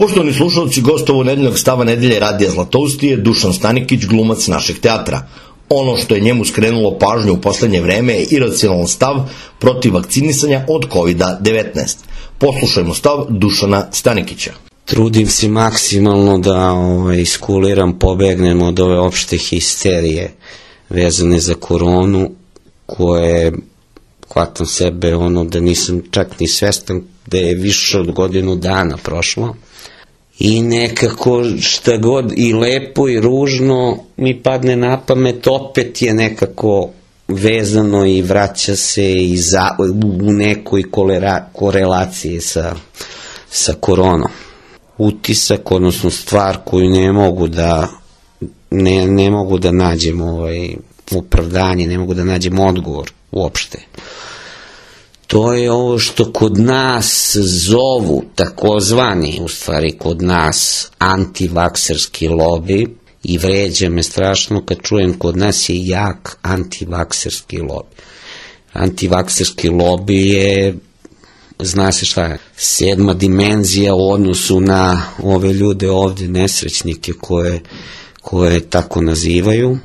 Poštovani slušalci, gost ovo nedeljnog stava nedelje Radija Zlatousti je Dušan Stanikić, glumac našeg teatra. Ono što je njemu skrenulo pažnju u poslednje vreme je iracionalan stav protiv vakcinisanja od COVID-19. Poslušajmo stav Dušana Stanikića. Trudim se maksimalno da iskuliram, pobegnem od ove opšte histerije vezane za koronu, koje hvatam sebe da nisam čak ni svestan da je više od godinu dana prošlo. I nekako šta god i lepo i ružno mi padne na pamet, opet je nekako vezano i vraća se u nekoj korelaciji sa koronom. Utisak, odnosno stvar koju ne mogu da nađem opravdanje, ne mogu da nađem odgovor uopšte. To je ovo što kod nas zovu, takozvani, u stvari kod nas, antivakserski lobi, i vređa me strašno kad čujem kod nas je jak antivakserski lobi. Antivakserski lobi je, zna se šta je, 7. dimenzija u odnosu na ove ljude ovde, nesrećnike koje tako nazivaju,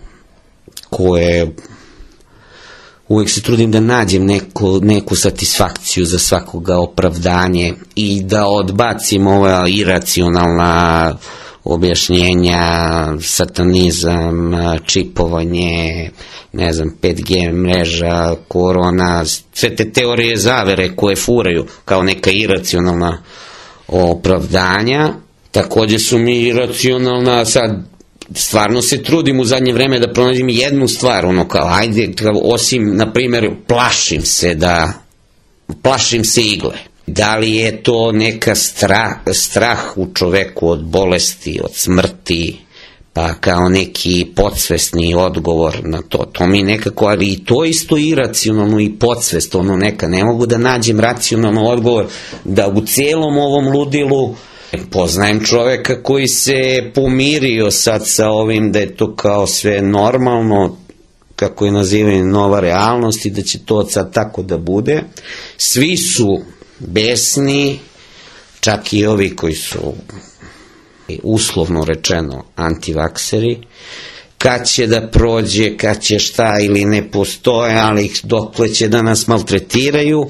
koje uvek se trudim da nađem neku satisfakciju za svakoga, opravdanje, i da odbacim ova iracionalna objašnjenja, satanizam, čipovanje, 5G mreža, korona, sve te teorije zavere koje furaju kao neka iracionalna opravdanja. Takođe su mi iracionalna, sad stvarno se trudim u zadnje vreme da pronađem jednu stvar, osim, na primjer, plašim se igle. Da li je to neka strah u čoveku od bolesti, od smrti, pa kao neki podsvesni odgovor na to. To mi nekako, ali i to isto iracionalno i podsvest, ne mogu da nađem racionalno odgovor da u cijelom ovom ludilu. Poznajem čoveka koji se pomirio sad sa ovim da je to kao sve normalno, kako je nazivaju nova realnost, i da će to sad tako da bude. Svi su besni, čak i ovi koji su uslovno rečeno antivakseri. Kad će da prođe, kad će šta ili ne postoje, ali dokle će da nas maltretiraju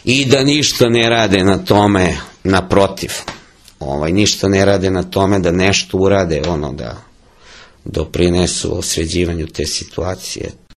i da ništa ne rade na tome, naprotiv. Ništa ne rade na tome da nešto urade, da doprinesu osveđivanju te situacije.